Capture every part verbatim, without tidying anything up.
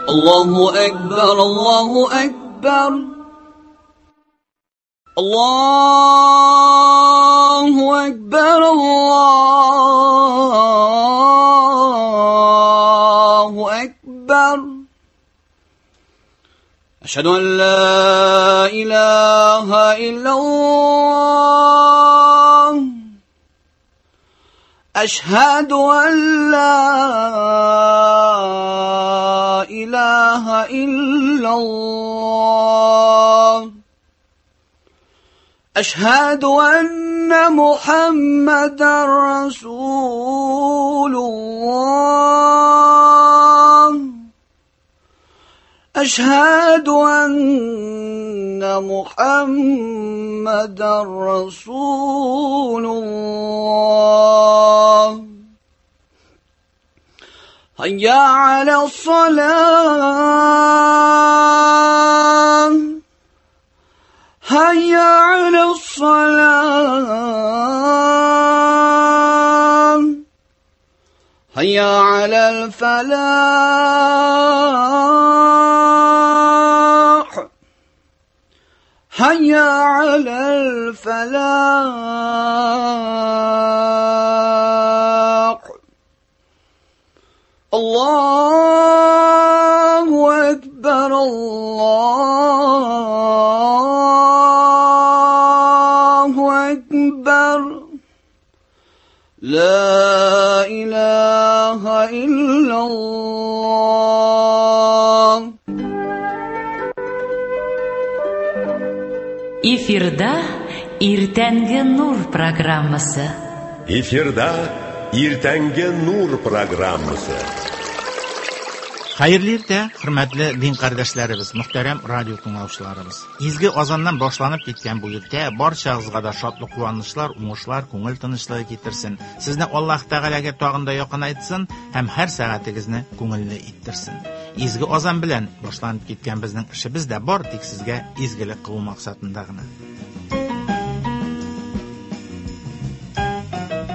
الله أكبر الله أكبر الله أكبر الله أكبر أشهد أن لا إله إلا الله أشهد أن لا إله إلا الله أشهد أن محمدا رسول الله أشهد أن محمدا رسول الله هيا على الصلاة هيا على الصلاة هيا على الفلاح هيا على الفلاح الله أكبر الله أكبر لا إله إلا الله. Эфирда Иртәнге нур программасы. Эфирда Иртәнге нур программасы. Хәерле иртә, хөрмәтле дин кардәшләребез, мөхтәрәм радио тыңлаучыларыбыз. Изге азаннан башланып киткән бу иртә барчагызга да шатлык, куанычлар, уңышлар, күңел тынычлыгы китерсен. Сезне Аллаһ Тәгаләгә тагын да якынайтсын һәм һәр сәгатегезне күңелле иттерсен. Изге азан белән башланып киткән безнең эшебез дә бар тик сезгә изгелек кылу максатында гына.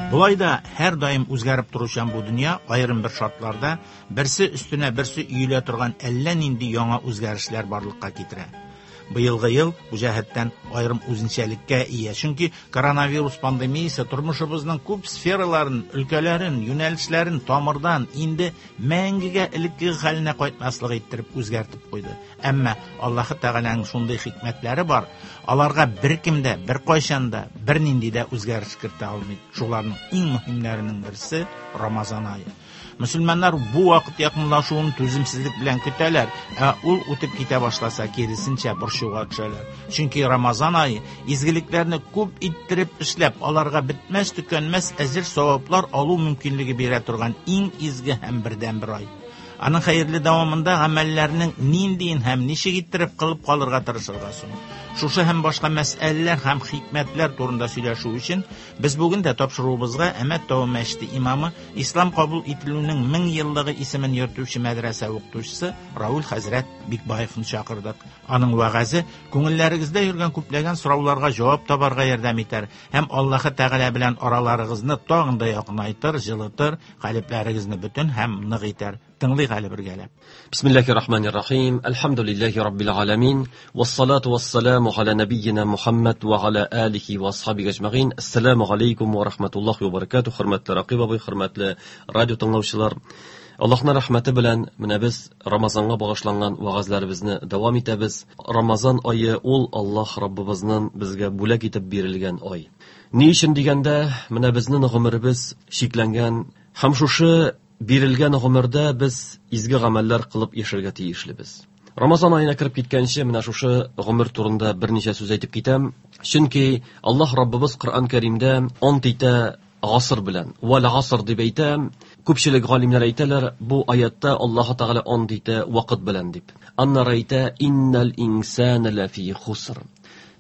Болай да һәр даим үзгәреп торучан бу дөнья аерым бер шартларда берсе өстенә берсе өелә торган әллә нинди яңа үзгәрешләр барлыкка китерә. Быелгы ел бу җәһәттән аерым үзенчәлеккә ия, чөнки коронавирус пандемиясе тормышыбызның күп сфераларын, өлкәләрен, юнәлешләрен тамырдан инде мәңгегә элеккеге хәленә кайтмаслык иттереп үзгәртеп куйды. Әмма Аллаһы Тәгаләнең шундый хикмәтләре бар, аларга беркем дә, беркайчан да, бернинди дә үзгәреш кертә алмый. Шуларның иң мөһимнәренең берсе Рамазан ае. Мөселманнар бу вакыт якынлашуын түземсезлек белән көтәләр, ә ул үтеп китә башласа, киресенчә борчуга төшәләр. Чөнки Рамазан ае изгелекләрне күп иттереп эшләп, аларга бетмәс төкәнмәс әҗер саваплар алу мөмкинлеге бирә торган иң изге һәм бердәнбер ай. Аның хәерле дәвамында гамәлләрнең ниндиен һәм ничек иттереп кылып калырга тырышырга соң. Шушы һәм башка мәсьәләләр һәм хикмәтләр турында сөйләшү өчен без бүген дә тапшыруыбызга Әмәт тавы мәчете имамы, ислам кабул ителүнең мең еллыгы исемен йөртүче мәдрәсә укытучысы Рауль хәзрәт Бикбаевны чакырдык. Аның вәгазе күңелләрегездә йөргән күпләгән сорауларга җавап табарга ярдәм итәр һәм Аллаһы Тәгалә белән араларыгызны тагын да якынайтыр, җылытыр, калебләрегезне бөтен һәм нык итәр. Тыңлыйк әле бергәләп. Бисмиллахир-рахманир-рахим. Әлхәмдүлилләһи раббил аламин. Вассалату вассаламу аля набийина Мухаммад ва аля алихи ва асхабиһи әҗмәгыйн. Ассаламу алейкум ва рахматуллахи ва баракатуһ. Хөрмәтле Рақиб абый, хөрмәтле радио тыңлаучылар. Аллаһның рәхмәте белән менә без Рамазанга багышланган вәгазьләребезне дәвам итәбез. Рамазан ае ул Аллаһ Раббыбызның безгә бүләк итеп бирелгән ай. Ни өчен дигәндә, менә безнең гомеребез чикләнгән һәм шушы бирелгән гомердә без изге гамәлләр кылып яшәргә тиешлебез. Рамазан аена кереп киткәнче менә шушы гомер турында берничә сүз әйтеп китәм. Чөнки Аллаһ Раббыбыз Коръән Кәримдә ант итә гасыр белән. Вал гасыр дип әйтә. Күпчелек галимнәр әйтәләр, бу аятта Аллаһ Тәгалә ант итә вакыт белән дип. Аннары әйтә иннал инсана лафи хуср.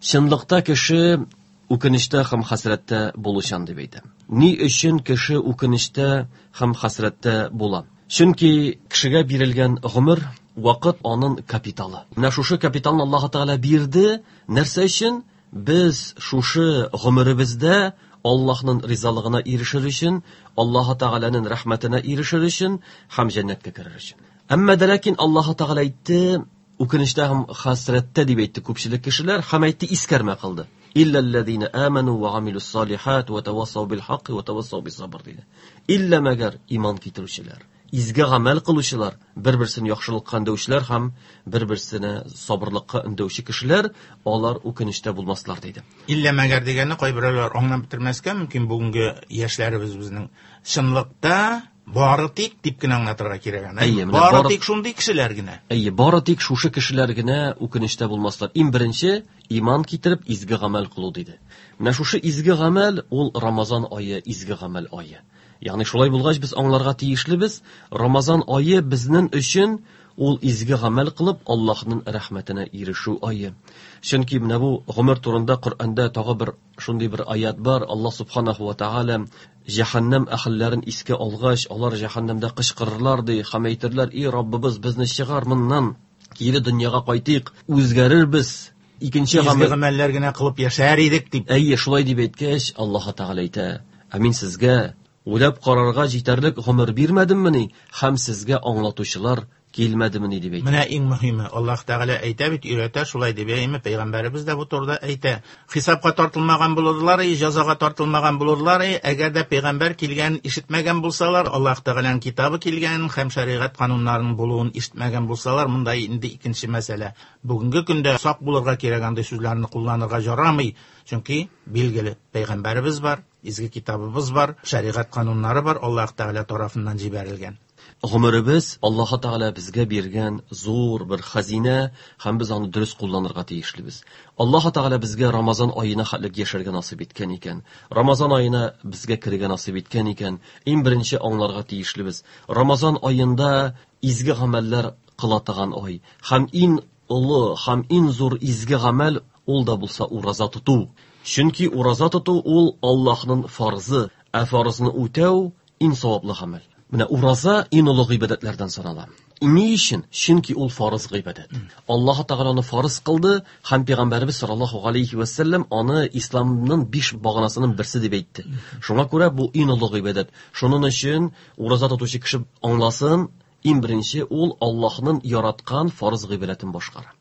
Чынлыкта кеше үкенештә һәм хәсрәттә булучан дип әйтә. Ни өчен кеше үкенештә һәм хәсрәттә була? Чөнки кешегә бирелгән гомер вакыт аның капиталы. Менә шушы капиталны Аллаһ Тәгалә бирде. Нәрсә өчен? Без шушы гомеребездә Аллаһның ризалыгына ирешер өчен, Аллаһ Тәгаләнең рәхмәтенә ирешер өчен һәм җәннәткә керер өчен. Әмма дә ләкин Аллаһ Тәгалә әйтте, үкенештә һәм хәсрәттә дип әйтте күпчелек кешеләр, һәм әйтте, искәрмә кылды. Илләлләзина аману ва амилус салихат ва тавассау бил хакки ва тавассау бис сабр диде. Иллә мәгәр иман китерүчеләр, изге гамәл кылучылар, бер-берсен яхшылыкка өндәүчеләр һәм бер-берсенә сабырлыкка өндәүче кешеләр, алар үкенештә булмаслар диде. Иллә мәгәр дигәнне кайберәүләр аңлап бетермәскә мөмкин. Бүгенге яшьләребез безнең чынлыкта бары тик дип кенә аңлатырга кирәк аны. Әйе, менә Бары бары тик шундый кешеләр генә. Әйе, бары тик шушы кешеләр генә үкенештә булмаслар. Иң беренче иман китереп изге гамәл кылу диде. Менә шушы изге гамәл ул Рамазан ае, изге гамәл ае. Ягъни шулай булгач без аңларга тиешлебез, Рамазан ае безнең өчен ул изге гамәл кылып Аллаһның рәхмәтенә ирешү ае. Чөнки менә бу гомер турында Коръәндә тагы бер шундый бер аят бар. Аллаһ субханаху ва тааля җәһәннәм әһелләрен искә алгач, алар җәһәннәмдә кычкырырлар ди, һәм әйтерләр: "И Раббыбыз, безне чыгар моннан, кире дөньяга кайтыйк, үзгәрербез." Икенче Изге гамәл гамәлләр генә кылып яшәр идек дип. Әйе, шулай дип әйткәч, Аллаһ Тәгалә әйтә: "Ә мин сезгә уйлап карарга җитәрлек гомер бирмәдеммени һәм сезгә аңлатучылар килмәдемени?" дип әйтә. Менә иң мөһиме, Аллаһ Тәгалә әйтә бит, өйрәтә, шулай дип әйме, пәйгамбәребез дә бу турыда әйтә. Хисапка тартылмаган булырлар, җәзага тартылмаган булырлар, әгәр дә пәйгамбәр килгән ишетмәгән булсалар, Аллаһ Тәгаләнең китабы килгән һәм шәригать кануннарының булуын ишетмәгән булсалар, монда инде икенче мәсьәлә. Бүгенге көндә сак булырга кирәк, андый сүзләрне кулланырга ярамый, чөнки билгеле пәйгамбәребез бар, изге китабыбыз бар, шәригать кануннары бар, Аллаһ Тәгалә тарафыннан җибәрелгән. Гомеребез Аллаһ Тәгалә безгә биргән зур бер хәзинә һәм без аны дөрес кулланырга тиешлебез. Аллаһ Тәгалә безгә Рамазан аена хәтлек яшәргә насыйп иткән икән, Рамазан аена безгә керергә насыйп иткән икән, иң беренче аңларга тиешлебез. Рамазан аенда изге гамәлләр кыла торган ай һәм иң олы һәм иң зур изге гамәл ул да булса ураза тоту. Чөнки ураза тоту ул Аллаһның фарзы, ә фарзны үтәү иң саваплы гамәл. Менә ураза иң олы гыйбадәтләрдән санала. Ни өчен? Чөнки ул фарыз гыйбадәт. Аллаһ Тәгалә аны фарыз кылды һәм пәйгамбәребез саллаллаһу алейхи ва саллям аны исламның биш баганасының берсе дип әйтте. Шуңа күрә бу иң олы гыйбадәт. Шуның өчен ураза тотучы кеше аңласын, иң беренче ул Аллаһның яраткан фарыз гыйбадәтен башкара.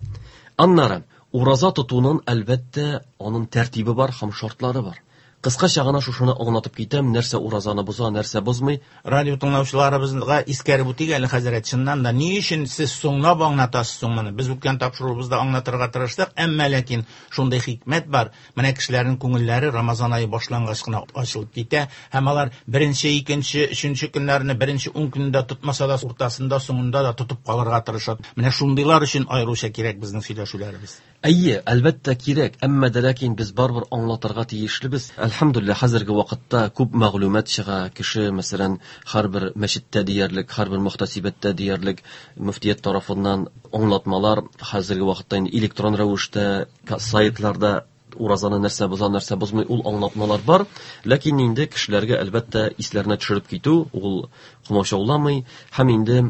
Аннары ураза тотуның әлбәттә аның тәртибе бар һәм шартлары бар. Кыскача гына шушыны аңлатып китәм, нәрсә уразаны боза, нәрсә бозмый. Радио тыңлаучыларыбызга искәреп үтик әле, хәзрәт, чыннан да ни өчен сез соңлап аңлатасыз соң моны? Без үткән тапшыруыбызда аңлатырга тырыштык, әмма ләкин шундый хикмәт бар. Менә кешеләрнең күңелләре Рамазан ае башлангач кына ачылып китә һәм алар беренче, икенче, өченче көннәрне беренче ун көнендә тотмаса да, уртасында, соңында да тотып калырга тырыша. Менә шундыйлар өчен аеруча кирәк безнең сөйләшүләребез. Әйе, әлбәттә кирәк, әмма дә ләкин без барыбер аңлатырга тиешлебез. Әлхәмдүлилләһ, хәзерге вакытта күп мәгълүмат чыга. Кеше, мәсәлән, һәрбер мәчеттә диярлек, һәрбер мөхтәсибәттә диярлек мөфтият тарафыннан аңлатмалар хәзерге вакытта инде электрон рәвештә сайтларда уразаны нәрсә боза, нәрсә бозмый, ул аңлатмалар бар. Ләкин инде кешеләргә әлбәттә исләренә төшереп китү ул комачауламый. Һәм инде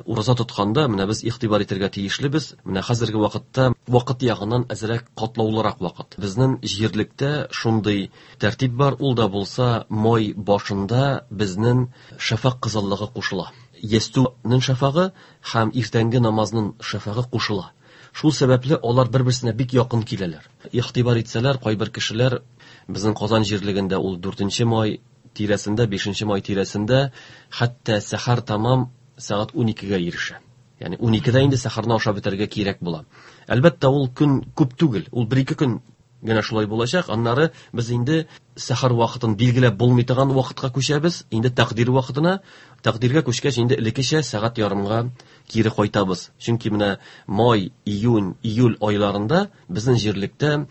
ураза тотканда менә без игътибар итәргә тиешлебез. Менә хәзерге вакытта вакыт ягыннан әзрәк катлаулырак вакыт. Безнең җирлектә шундый тәртип бар, ул да булса май башында безнең шәфәкъ кызыллыгы кушыла. Ястүнең шәфәгы һәм иртәнге намазның шәфәгы кушыла. Шул сәбәпле алар бер-берсенә бик якын киләләр. Игътибар итсәләр, кайбер кешеләр безнең Казан җирлегендә ул дүртенче май тирәсендә, бишенче май тирәсендә хәтта сәхәр тамам сәгать ун икегә ирешә. Ягъни ун икедә инде сәхәрне ашап бетерергә кирәк була. Әлбәттә, ул көн күп түгел, ул бер-ике көн генә шулай булачак. Аннары без инде сәхәр вакытын билгеләп булмый торган вакытка күчәбез, инде тәкъдир вакытына. Тәкъдиргә күчкәч инде элеккечә сәгать ярымга кире кайтабыз. Чөнки менә май, июнь, июль айларында безнең җирлектә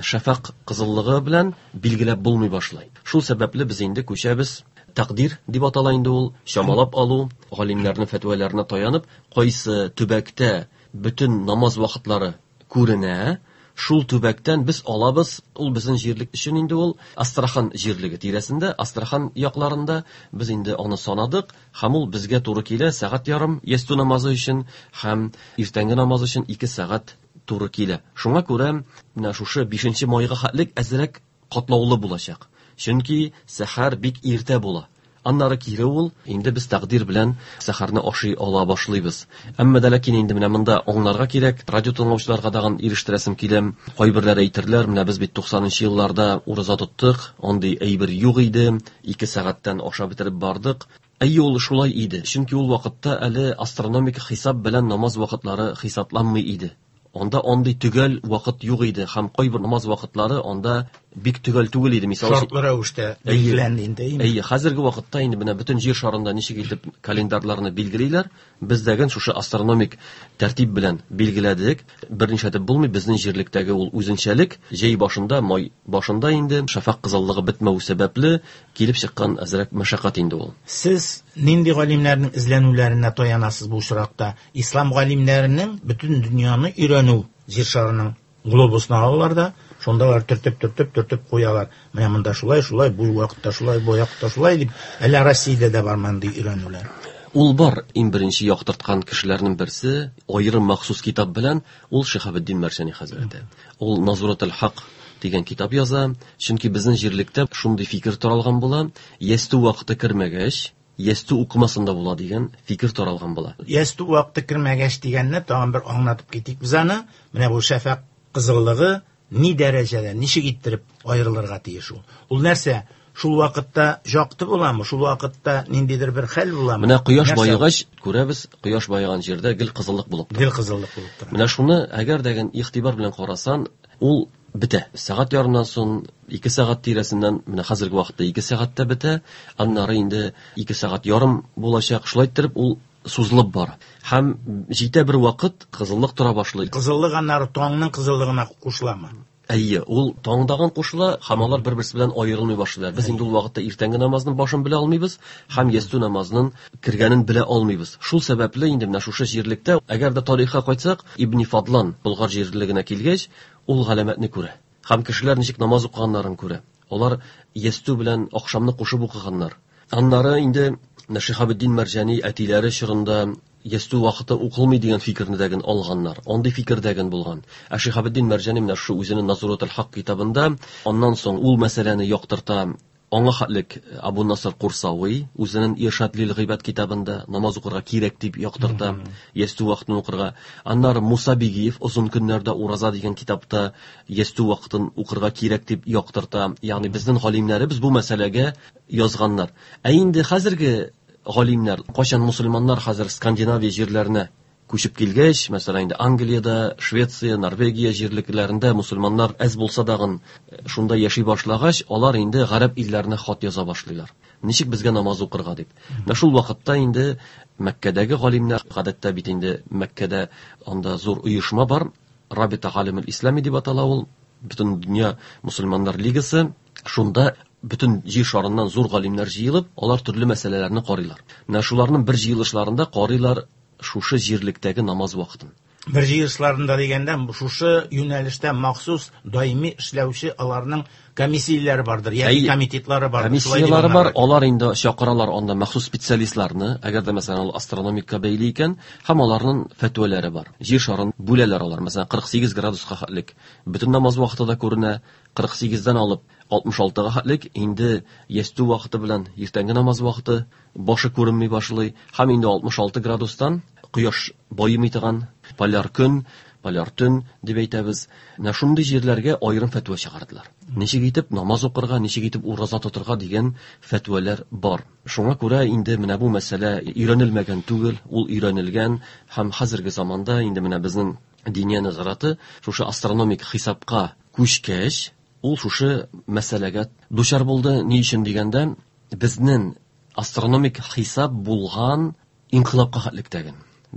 шәфәкъ кызыллыгы белән билгеләп булмый башлый. Шул сәбәпле без инде күчәбез. Тәкъдир дип атала инде ул, чамалап алу, галимнәрнең фәтваларына таянып, кайсы төбәктә бөтен намаз вакытлары күренә, шул төбәктән без алабыз. Ул безнең җирлек өчен инде ул Астрахан җирлеге тирәсендә, Астрахан якларында без инде аны санадык, һәм ул безгә туры килә сәгать ярым ястү намазы өчен һәм иртәнге намаз өчен ике сәгать туры килә. Шуңа күрә менә шушы бишенче майга хәтлек әзрәк катлаулы булачак. Чөнки сәхәр бик иртә була. Аннары кире ул, инде без тәкъдир белән сәхәрне ашый ала башлыйбыз. Әмма дә ләкин инде менә монда аңларга кирәк, радио тыңлаучыларга тагын ирештерәсем килә. Кайберләре әйтерләр, менә без бит туксанынчы елларда ураза тоттык, андый әйбер юк иде, ике сәгатьтән ашап бетереп бардык. Әйе, ул шулай иде. Чөнки ул вакытта әле астрономик хисап белән намаз вакытлары хисапланмый иде. Анда андый төгәл вакыт юк иде һәм кайбер намаз вакытлары анда бик төгәл түгел иде. Мисал өчен, шартлы рәвештә билгеләнде инде. Әйе, хәзерге вакытта инде менә бөтен җир шарында ничек итеп календарьларны билгелиләр, без дәген шушы астрономик тәртип белән билгеләдек. Берничә итеп булмый, безнең җирлектәге ул үзенчәлек җәй башында, май башында инде шәфәкъ кызыллыгы бетмәү сәбәпле килеп чыккан әзрәк мәшәкать инде ул. Сез нинди галимнәрнең эзләнүләренә таянасыз бу очракта? Ислам галимнәренең бөтен дөньяны өйрәнү, җир шарының глобусны алалар да, шунда алар төртеп, төртеп, төртеп куялар. Менә монда шулай, шулай, бу вакытта шулай, бу вакытта шулай дип, әллә Россиядә дә бар мондый өйрәнүләр? Ул бар. Иң беренче яктырткан кешеләрнең берсе, аерым махсус китап белән, ул Шиһабетдин Мәрҗани хәзрәте. Ул Назуратул Хак дигән китап яза, чөнки безнең җирлектә шундый фикер таралган була, ястү вакыты кермәгәч, ястү укымасын да була дигән фикер таралган була. Ястү вакыты кермәгәч дигәнне тагын бер аңлатып китик без аны. Менә бу шәфәкъ кызыллыгы ни дәрәҗәдә, ничек иттереп аерылырга тиеш ул? Ул нәрсә? Шул вакытта якты буламы? Шул вакытта ниндидер бер хәл буламы? Менә кояш баегач, күрәбез, кояш баеган җирдә гел кызыллык булып тора. Гел кызыллык булып тора. Менә шуны әгәр дә игътибар белән карасан, ул бетә. Сәгать ярымнан соң, ике сәгать тирәсеннән, менә хәзерге вакытта ике сәгатьтә бетә, аннары инде ике сәгать ярым булачак. Шулай иттереп ул сузылып бара. Һәм җитә бер вакыт кызыллык тора башлый. Кызыллык аннары таңның кызыллыгына кушыламы? Әйе, ул таңдаган кушыла, һәм алар бер-берсе белән аерылмый башлыйлар. Без инде ул вакытта иртәнге намазның башын белә алмыйбыз, һәм ястү намазының кергәнен белә алмыйбыз. Шул сәбәпле инде менә шушы җирлектә, әгәр дә тарихка кайтсак, Ибн Фадлан Болгар җирлегенә килгәч, ул галәмәтне күрә. Һәм кешеләр ничек намаз укыганнарын күрә. Алар ястү белән ахшамны кушып укыганнар. Аннары инде Шиһабетдин Мәрҗани әтиләре чорында ястү вакыты укылмый дигән фикерне дәген алганнар. Андый фикер дәген булган. Ә Шиһабетдин Мәрҗани менә шу үзенең Назуратул Хак китабында аннан соң ул мәсьәләне яктырта. Аңа хәтлек Абу Насыр Курсави үзенең Иршад лил Гыйбад китабында намаз укырга кирәк дип яктырта, ястү вакытын укырга. Аннары Муса Бигиев озын көннәрдә ураза дигән китапта ястү вакытын укырга кирәк дип яктырта. Ягъни безнең галимнәребез бу мәсьәләгә язганнар. Ә инде хәзерге галимнәр, кайчан мусульманнар хәзер Скандинавия җирләренә күчеп килгәч, мәсәлән, инде Англиядә, Швеция, Норвегия җирлекләрендә мусульманнар әз булса дагын шунда яши башлагач, алар инде гарәп илләренә хат яза башлыйлар. Ничек безгә намаз укырга дип. Менә шул вакытта инде Мәккәдәге галимнәр, гадәттә бит инде Мәккәдә анда зур оешма бар, Рабита Галимул Ислами дип атала ул, бөтен дөнья мусульманнар лигасы, шунда бөтен җир шарыннан зур галимнәр җыелып, алар төрле мәсьәләләрне карыйлар. Менә шуларның бер җыелышларында карыйлар шушы җирлектәге намаз вакытын. Бер җыелышларында дигәндә, шушы юнәлештә махсус даими эшләүче аларның комиссияләре бардыр, яки Әйе, комитетлары бардыр. Шулай дип Комиссияләре бар, аңларга. алар инде чакыралар анда махсус специалистларны, әгәр дә мәсәлән ул астрономикка бәйле икән, һәм аларның фәтвәләре бар. Җир шарын бүләләр алар, мәсәлән, кырык сигез градуска хәтлек. Бөтен намаз вакыты да күренә, кырык сигездән алып алтмыш алтыга хәтлек, инде ястү вакыты белән иртәнге намаз вакыты башы күренми башлый, һәм инде алтмыш алты градустан кояш баемый торган поляр көн, поляр төн дип әйтәбез. Менә шундый җирләргә аерым фәтва чыгардылар. Ничек итеп намаз укырга, ничек итеп ураза тотырга дигән фәтвәләр бар. Шуңа күрә инде менә бу мәсьәлә өйрәнелмәгән түгел, ул өйрәнелгән һәм хәзерге заманда инде менә безнең диния назараты шушы астрономик хисапка күчкәч, ул шушы мәсьәләгә дучар булды. Ни өчен дигәндә, безнең астрономик хисап булган инкыйлабка хәтлектәге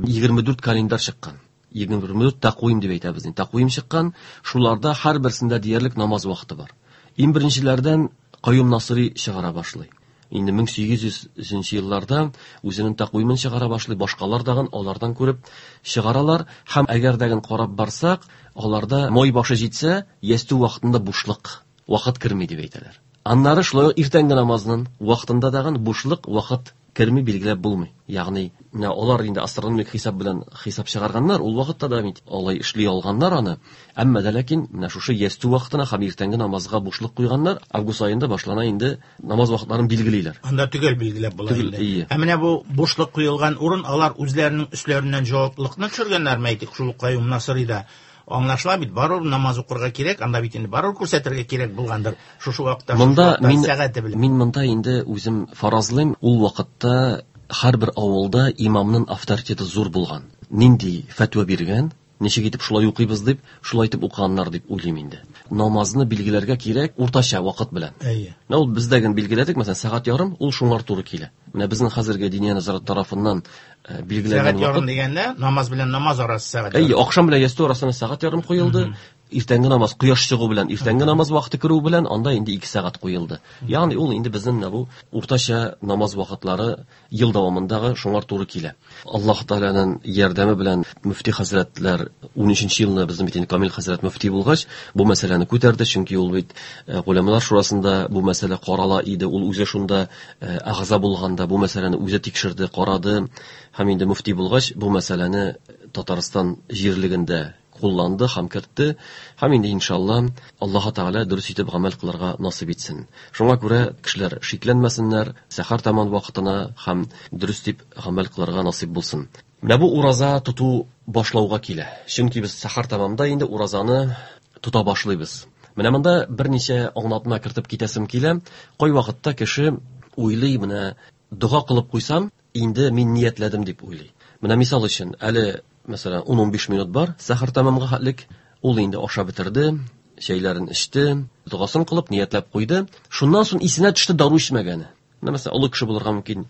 егерме дүрт календарь чыккан. Егерме дүрт тәкъвим дип әйтәбез инде. Тәкъвим чыккан, шуларда һәрберсендә диярлек намаз вакыты бар. Иң беренчеләрдән Каюм Насыри чыгара башлый. Инде мең сигез йөзенче елларда үзенең тәкъвимен чыгара башлый, башкалар дагын алардан күреп чыгаралар. Һәм әгәр дә карап барсак, аларда май башы җитсә, ястү вакытында бушлык, вакыт керми дип әйтәләр. Аннары шулай ук иртәнге намазның вакытында дагын бушлык вакыт керми билгеләп булмый. Ягъни менә алар инде астрономик хисап белән хисап чыгарганнар, ул вакытта да бит алай эшли алганнар аны. Әмма дә ләкин менә шушы ястү вакытына һәм иртәнге намазга бушлык куйганнар. Август аенда башлана инде намаз вакытларын билгелиләр. Анда төгәл билгеләп була инде. Ә менә бу бушлык куелган урын алар үзләренең өсләреннән җаваплылыкны төшергәннәрме, әйтик, шул Каюм Насыйрида аңлашыла бит, барыбер намаз укырга кирәк, анда бит инде барыбер күрсәтергә кирәк булгандыр. Шушы вакытта, монда мин, сәгате белән. Мин монда инде үзем фаразлыйм, ул вакытта һәрбер авылда имамның авторитеты зур булган. Нинди фәтва биргән, ничек итеп шулай укыйбыз дип, шулай итеп укыганнар дип уйлыйм инде. Намазны билгеләргә кирәк уртача вакыт белән. Әйе. Менә ул бездәген билгеләдек, мәсәлән, сәгать ярым, ул шуңар туры килә. Менә безнең хәзерге Диния нәзарәте тарафыннан билгеләнгән вакыт. Сәгать ярым дигәндә намаз белән намаз арасы сәгать. Әйе, ахшам белән ястү арасына сәгать ярым куелды. Иртәнге намаз кояш чыгу белән, иртәнге намаз вакыты керү белән анда инде ике сәгать куелды. Ягъни ул инде безнең менә бу уртача намаз вакытлары ел дәвамындагы шуңар туры килә. Аллаһ Тәгаләнең ярдәме белән мөфти хәзрәтләр унөченче елны безнең бит инде Камил хәзрәт мөфти булгач, бу мәсьәләне күтәрде, чөнки ул бит голямалар шурасында бу мәсьәлә карала иде, ул үзе шунда әгъза булганда бу мәсьәләне үзе тикшерде, карады һәм инде мөфти булгач бу мәсьәләне Татарстан җирлегендә кулланды һәм кертте. Һәм инде иншалла Аллаһ Тәгалә дөрес итеп гамәл кылырга насыйп итсен. Шуңа күрә кешеләр шикләнмәсеннәр, сәхәр таман вакытына һәм дөрес дип гамәл кылырга насыйп булсын. Менә бу ураза тоту башлауга килә. Чөнки без сәхәр тамамда инде уразаны тота башлыйбыз. Менә монда берничә аңлатма кертеп китәсем килә. Кай вакытта кеше уйлый, менә дога кылып куйсам, инде мин ниятләдем дип уйлый. Менә мисал өчен, әле мәсәлән, ун-унбиш минут бар, сәхәр тамамга хәтлек, ул инде ашап бетерде, чәйләрен эчте, догасын кылып ниятләп куйды. Шуннан соң исенә төште дару эчмәгәне. Менә мәсәлән, олы кеше булырга мөмкин.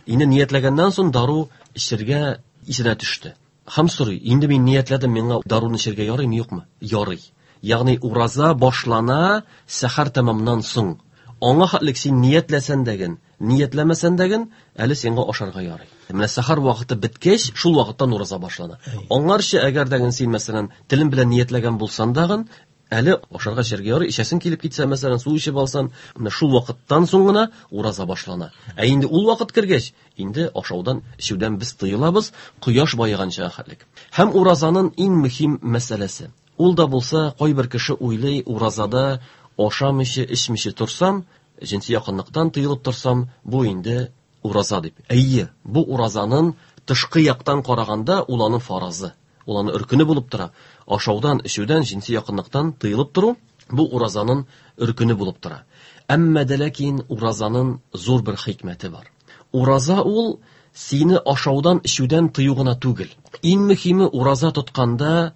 Инде ниятләгәннән соң дару эчәргә исенә төште. Һәм сорый, инде мин ниятләдем, миңа даруны эчәргә ярыймы, юкмы? Ярый. Ягъни ураза башлана сәхәр тамамнан соң. Аңа хәтлек син ниятләсән дәген, ниятләмәсән дәген, әле сиңа ашарга ярый. Менә сәхәр вакыты беткәч, шул вакыттан ураза башлана. Аңарчы әгәр дәген син мәсәлән телең белән ниятләгән булсаң дагын, әле ашарга эчәргә ярый, эчәсең килеп китсә, мәсәлән, су эчеп алсаң, менә шул вакыттан соң гына ураза башлана. Ә инде ул вакыт кергәч, инде ашаудан, эчүдән без тыелабыз, кояш баеганча хәтлек. Һәм уразаның иң мөһим мәсьәләсе. Ул да булса, кайбер кеше уйлый, уразада ашамыйча, эчмичә торсам, җенси якынлыктан тыелып торсам, бу инде ураза дип. Әйе, бу уразаның тышкы яктан караганда ул аның фаразы, ул аның өркене булып тора. Ашаудан, эчүдән, җенси якынлыктан тыелып тору бу уразаның өркене булып тора. Әмма дә ләкин уразаның зур бер хикмәте бар. Ураза ул сине ашаудан, эчүдән тыю гына түгел. Иң мөһиме ураза тотканда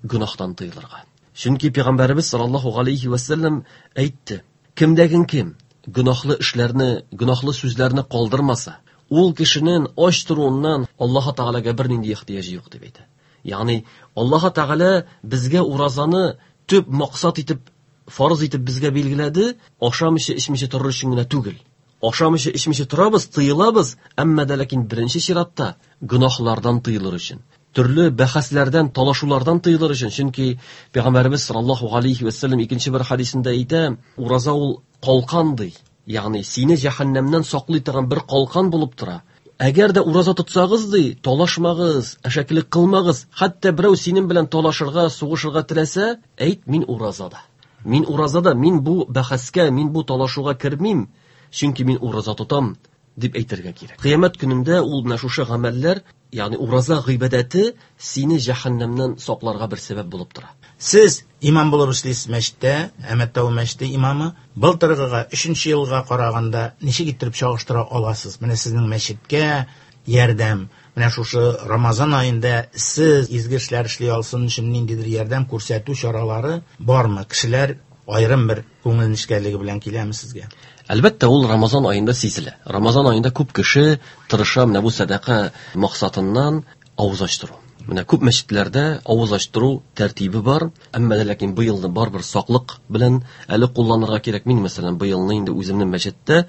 гөнаһтан тыелырга. Чөнки Пәйгамбәребез саллаллаһу алейхи ва саллям әйтте, кемдәген кем гөнаһлы эшләрне, гөнаһлы сүзләрне калдырмаса, ул кешенең ач торуыннан Аллаһ Тәгаләгә бернинди ихтыяҗы юк дип әйтә. Ягъни Аллаһ Тәгалә безгә уразаны төп максат итеп, фарыз итеп безгә билгеләде, ашамыйча, эчмичә торыр өчен генә түгел. Ашамыйча, эчмичә торабыз, тыелабыз, әмма дә ләкин беренче чиратта гөнаһлардан тыелыр өчен, төрле бәхәсләрдән, талашулардан тыелыр өчен. Чөнки Пәйгамбәребез саллаллаһу алейхи ва саллям икенче бер хадисендә әйтә, ураза ул калкан ди. Ягъни сине җәһәннәмнән саклый торган бер калкан булып тора. Әгәр дә ураза тотсагыз ди, талашмагыз, әшәкелек кылмагыз. Хәтта берәү синең белән талашырга, сугышырга теләсә, әйт, мин уразада. Мин уразада, мин бу бәхәскә, мин бу талашуга кермим, чөнки мин ураза тотам дип әйтергә кирәк. Кыямәт көнендә ул менә шушы гамәлләр, ягъни ураза гыйбадәте сине җәһәннәмнән сакларга бер сәбәп булып тора. Сез имам булып эшлисез мәчеттә, Әмәттау мәчете имамы. Былтыргыга, өченче елга караганда ничек иттереп чагыштыра аласыз? Менә сезнең мәчеткә ярдәм, менә шушы Рамазан аенда сез изге эшләр эшли алсын өчен ниндидер ярдәм күрсәтү чаралары бармы? Кешеләр аерым бер күңел нечкәлеге белән киләме сезгә? Әлбәттә, ул Рамазан аенда сизелә. Рамазан аенда күп кеше тырыша менә бу сәдака максатыннан авыз ачтыру. Менә күп мәчетләрдә авыз ачтыру тәртибе бар, әмма дә ләкин быелны барбер саклык белән әле кулланырга кирәк. Мин, мәсәлән, быелны инде үземнең мәчеттә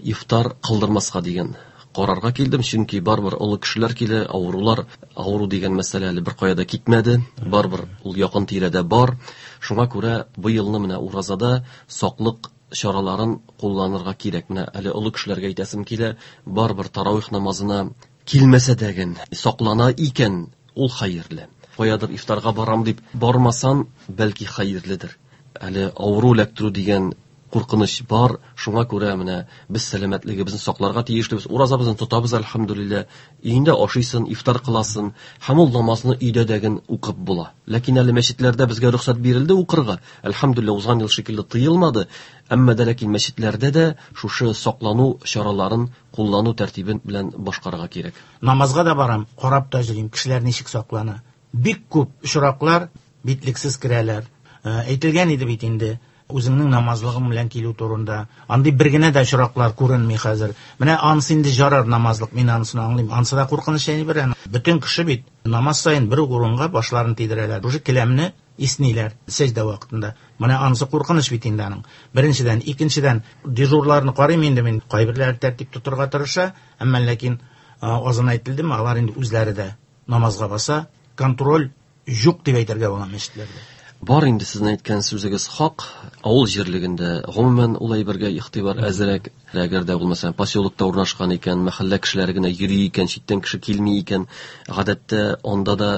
ифтар кылдырмаска дигән карарга килдем, чөнки барбер олы кешеләр килә, авырулар, авыру дигән мәсьәлә әле бер кая да китмәде, барбер ул якын тирәдә бар. Шуңа күрә быелны менә уразада саклык чараларын кулланырга кирәк. Менә әле олы кешеләргә әйтәсем килә, барыбер таравих намазына килмәсә дә саклана икән, ул хәерле. Каядыр ифтарга барам дип бармасан, бәлки хәерледер. Әле авыру эләктерү дигән куркыныч бар, шуңа күрә менә без сәламәтлегебезне сакларга тиешлебез. Уразабызны тотабыз, әлхәмдүлилләһ. Өеңдә ашыйсың, ифтар кыласың, һәм ул намазны өйдә дәген укып була. Ләкин әле мәчетләрдә безгә рөхсәт бирелде укырга. Әлхәмдүлилләһ, узган ел шикелле тыелмады. Әмма дә ләкин мәчетләрдә дә шушы саклану чараларын куллану тәртибен белән башкарырга кирәк. Намазга да барам, карап та йөрим, кешеләр ничек саклана. Бик күп очраклар битлексез керәләр. Әйтелгән иде бит инде, үзеңнең намазлыгың белән килү турында. Андый бер генә дә очраклар күренми хәзер. Менә анысы инде жарар намазлык, мин анысын аңлыйм. Анысы да куркыныч әйбер. Бөтен кеше бит намаз саен бер үк урынга башларын тидерәләр. Уже келәмне исниләр сәҗдә вакытында. Менә анысы куркыныч бит инде аның. Беренчедән, икенчедән, дежурларны карыйм инде мин. Кайберләре тәртип тотырга тырыша, әмма ләкин азын әйтелдеме, алар инде үзләре дә намазга баса, контроль юк дип әйтергә була мәчетләрдә. Бар инде сезнең әйткән сүзегез хак. Авыл җирлегендә гомумән ул әйбергә игътибар әзрәк. Әгәр дә ул мәсәлән поселокта урнашкан икән, мәхәллә кешеләре генә йөри икән, читтән кеше килми икән, гадәттә анда да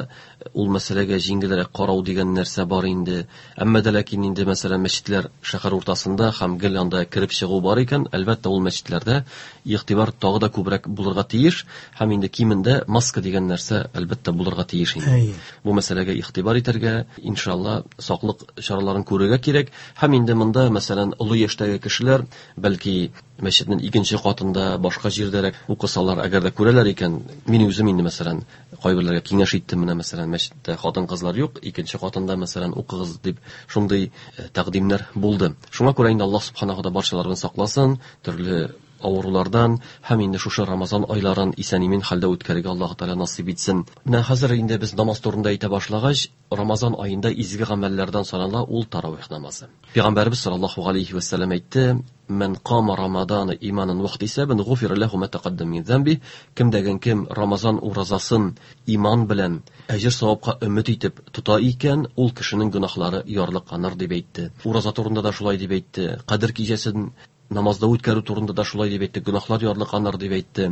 ул мәсьәләгә җиңелрәк карау дигән нәрсә бар инде. Әмма дә ләкин инде мәсәлән мәчетләр шәһәр уртасында һәм гел анда кереп чыгу бар икән, әлбәттә ул мәчетләрдә игътибар тагы да күбрәк булырга тиеш һәм инде кимендә маска дигән нәрсә әлбәттә булырга тиеш инде. Бу мәсьәләгә игътибар итәргә, иншалла, саклык чараларын күрергә кирәк. Һәм инде монда мәсәлән олы яшьтәге кешеләр бәлки мәчетнең икенче катында башка җирдәрәк укысалар, әгәр дә күрәләр икән, мин үзем инде мәсәлән кайберләргә киңәш иттем, менә мәсәлән мәчеттә хатын-кызлар юк, икенче катында мәсәлән укыгыз дип шундый тәкъдимнәр булды. Шуңа күрә инде Аллаһ субханаһу ва таала барчаларны сакласын төрле авырулардан һәм инде шушы Рамазан айларын исән-имин хәлдә үткәрергә Аллаһ Тәгалә насыйп итсен. Менә хәзер инде без намаз турында әйтә башлагач, Рамазан аенда изге гамәлләрдән санала ул таравих намазы. Пәйгамбәрбез саллаллаһу алейхи ва сәлләм әйтте: "Ман кама Рамазана иманан ва ихтисабан гуфира лаху ма тақаддам мин замби". Кем дәген кем Рамазан уразасын иман белән әҗер савапка өмет итеп тота икән, ул кешенең гөнаһлары ярлыканыр дип әйтте. Ураза турында да шулай дип әйтте. Кадер кичәсен намазда үткәрү турында да шулай дип әйтте, гөнаһлар ярлыканыр дип әйтте.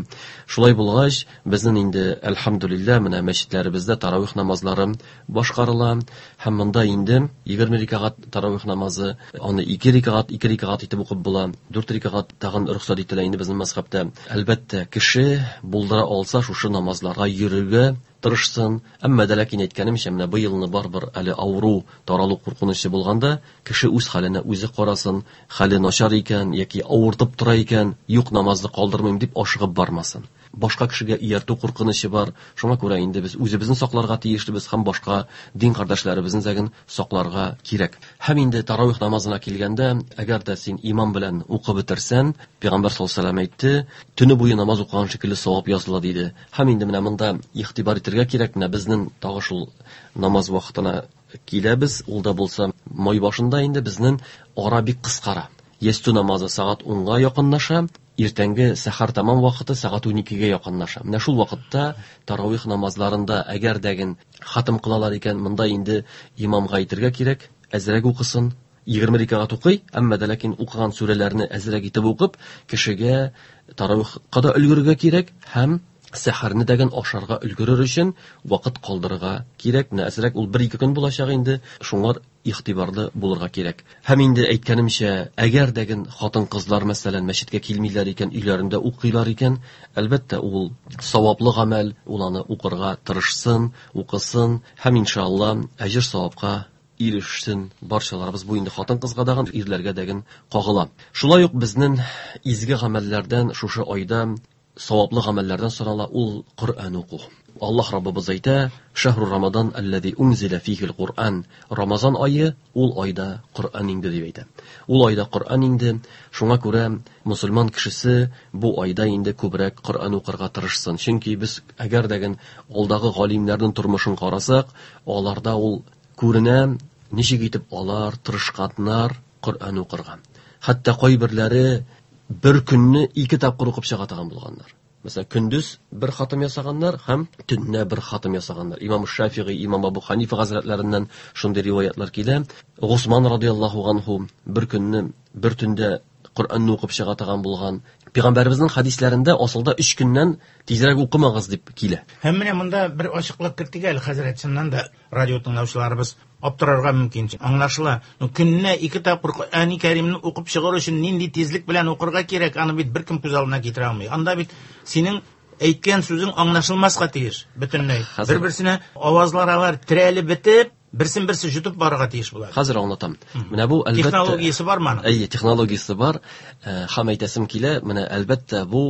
Шулай булгач, безнең инде әлхәмдүлилләһ менә мәчетләребездә таравих намазлары башкарыла һәм монда инде егерме рәкәгать таравих намазы, аны ике рәкәгать, ике рәкәгать итеп укып була, дүрт рәкәгать тагын рөхсәт ителә инде безнең мәзһәбтә. Әлбәттә, кеше булдыра алса шушы намазларга йөрергә тырышсын. Әмма дә ләкин әйткәнемчә, менә быелны барыбер әле авыру таралу куркынычы булганда, кеше үз хәленә үзе карасын, хәле начар икән яки авыртып тора икән, юк намазны калдырмыйм дип ашыгып бармасын. Башка кешегә ияртү куркынычы бар. Шуңа күрә инде без үзебезне сакларга тиешлебез һәм башка дин кардәшләребезне зәген сакларга кирәк. Һәм инде таравих намазына килгәндә, әгәр дә син имам белән укып бетерсән, Пәйгамбәр саллаллаһу алейһи ва сәлләм әйтте, төне буе намаз укыган шикелле савап языла диде. Һәм инде менә монда игътибар итәргә кирәк, менә безнең тагы шул намаз вакытына киләбез, ул да булса май башында инде безнең ара бик кыскара. Ястү намазы сәгать унга якынлаша, иртәнге сәхәр тамам вакыты сәгать уникегә якынлаша. Менә шул вакытта таравих намазларында әгәр дәген хатым кылалар икән, монда инде имамга әйтергә кирәк, әзрәк укысын, егерме рәкәгать укый, әмма дә ләкин укыган сүрәләрне әзрәк итеп укып, кешегә таравихка да өлгерергә кирәк һәм сәхәрне дәген ашарга өлгерер өчен вакыт калдырырга кирәк. Менә әзрәк ул бер-ике көн булачак инде, шуңар игътибарлы булырга кирәк. Һәм инде әйткәнемчә, әгәр дәген хатын-кызлар мәсәлән мәчеткә килмиләр икән, өйләрендә укыйлар икән, әлбәттә ул саваплы гамәл, ул аны укырга тырышсын, укысын һәм иншалла әҗер савапка ирешсен барчаларыбыз. Бу инде хатын-кызга дагын, ирләргә дәген кагыла. Шулай ук безнең изге гамәлләрдән шушы айда саваплы гамәлләрдән санала ул Коръән уку. Аллаһ Раббыбыз әйтә: "Шәһру Рамадан аллази унзила фихил Коръән". Рамазан айы ул айда Коръән инде дип әйтә. Ул айда Коръән инде. Шуңа күрә мусульман кешесе бу айда инде күбрәк Коръән укырга тырышсын. Чөнки без әгәр дәген алдагы галимнәрнең тормышын карасак, аларда ул күренә, ничек итеп алар тырышканнар Коръән укырга. Хәтта кайберләре бер көнне ике тапкыр укып чыга торган булганнар. Мәсәлән, көндез бер хатым ясаганнар һәм төнлә бер хатым ясаганнар. Имам Шафигый, Имам Абу Ханифа хәзрәтләреннән шундый риваятлар килә. Госман радияллаһу анһу бер көнне, бер төндә Коръәнне укып чыга торган булган. Пәйгамбәребезнең хәдисләрендә асылда өч көннән тизрәк укымагыз дип килә. Һәм менә монда бер ачыклык кертик әле, хәзрәт, чыннан да радио тыңлаучыларыбыз аптырарга мөмкин. Аңлашыла. Но көненә ике тапкыр Коръәни Кәримне укып чыгар өчен нинди тизлек белән укырга кирәк, аны бит беркем күз алдына китерә алмый. Анда бит синең әйткән сүзең аңлашылмаска тиеш бөтенләй. Бер-берсенә авазлар алар терәлеп бетеп, берсен берсе җотып барырга тиеш була. Хәзер аңлатам. Менә бу әлбәттә технологиясе бармы аның? Әйе, технологиясе бар. Һәм әйтәсем килә, менә әлбәттә бу